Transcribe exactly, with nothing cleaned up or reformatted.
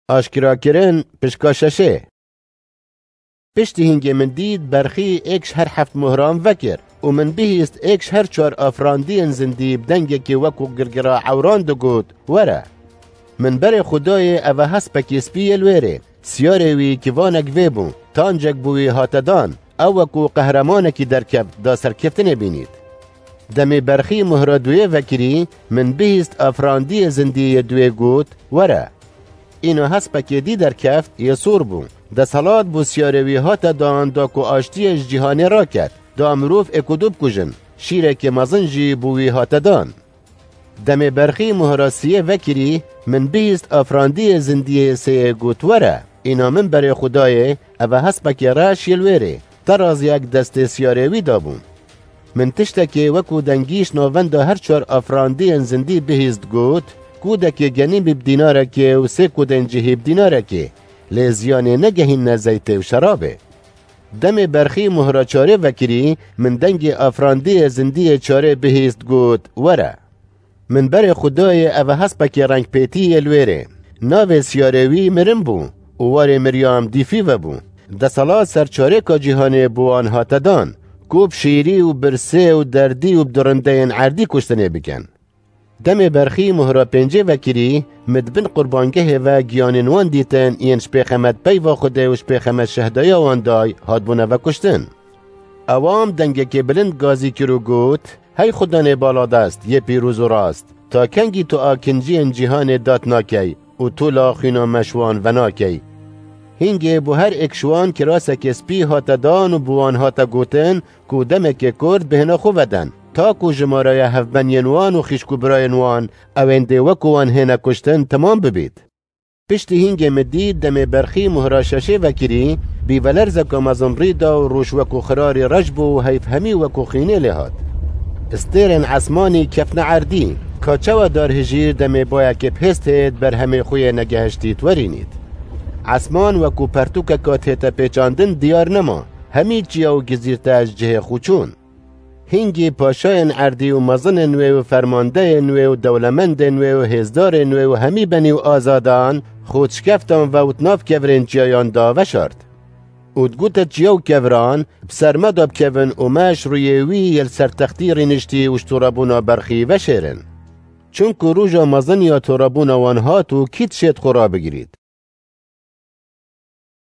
Aşkerakirin pişka şeşê. Piştî hingê min dît berxî êk ji her heft mohran vekir û min bihîst êk ji her çar afirandiyên zindî bi dengekê wekû girgira ewran digot, "Were." Min berê xwe dayê, eve hespekê spî yê li wêrê. Siyarê wî kivanek vê bû, tancek bi wî hate dan. Ew wekû qehremanekî derkeft, da serkeftinê bînît. Demê berxî mohra duyê vekirî, min bihîst afirandiyê zindî yê duyê got, "Were." Îna hespekê dî derkeft, yê sor bû. Desthilat bo siyarê wî hate dan, da ku aştiyê ji cîhanê raket, da mirov êk û du bikujin. Şîrekê mezin jî bo wî hate dan. Demê berxî mohra siyê vekirî, min bihîst afirandiyê zindiyê sêyê got, "Were." Îna min berê xwe dayê, eve hespekê reş yê li wêrê. Teraziyek destê siyarê wî dabû. Min tiştekê wekû dengî ji navenda her çar afirandiyên zindî bihîst, got, "Kûdekê genî bî bi dînarekê û sê kûdên cihî bi dînarekê, lê ziyanê negehînine zeytê û şerabê." Demê berxî mohra çarê vekirî, min dengê afirandiyê zindiyê çarê bihîst, got, "Were." Min berê xwe dayê, eve hespekê rengpêtî yê li wêrê. Navê siyarê wî Mirin bû û warê miriyan dîfî vebû. Desthilat ser çarêka cîhanê bo wan hate dan, ku bi şîrî û birsê û derdî û bi durindeyên erdî kuştinê bikin. Demê berxî mohra pêncê vekirî, min di bin qurbangehê ve giyanên wan dîtin, yên ji pêxemet peyva Xwedê û ji pêxemet şehdeya wan day, hatbûne vekuştin. Ewan dengekê bilind gazî kir û got, "Hey Xudanê baladest, yê pîroz û rast, ta kengî tu akinciyên cîhanê dat nakey û tu la xwîna me ji wan venakey?" Hingê bo her êk ji wan kirasekê spî hate dan û bi wan hate gotin, ku demekê kurt bihêne xwe veden, ta ku jimareya hevbeniyên wan û xîşk û birayên wan, ewên dê wekû wan hêne kuştin, temam bibît. Piştî hingê min dît demê berxî mohra şeşê vekirî, bîvelerzeka mezin rî da û rûş wekû xirarî reş bû û heyv hemî wekû xînê lê hat. Stêrên esmanî kefne erdî, ka çawa dar hijîr demê bayekê bi hêz têt berhemê xwe yê negehiştî twerînît. Esman wekû pertûkeka tête pêçandin diyar nema, hemî çiya û gizîrte ji cihê xwe çûn. Hingî paşayên erdî û mezinên wê û fermandeyên wê û dewlemendên wê û hêzdarên wê û hemî benî û azadan, xwe dişkeftan ve û di nav kevirên çiyayan de veşart. Û digute çiya û keviran, "Bi ser me de bikevin û me ji rûyê wî yê li ser textî rîniştî û ji torebûna berxî veşêrin. Çunku roja mezin ya torebûna wan hat û kî dişêt xwe rabigirît?"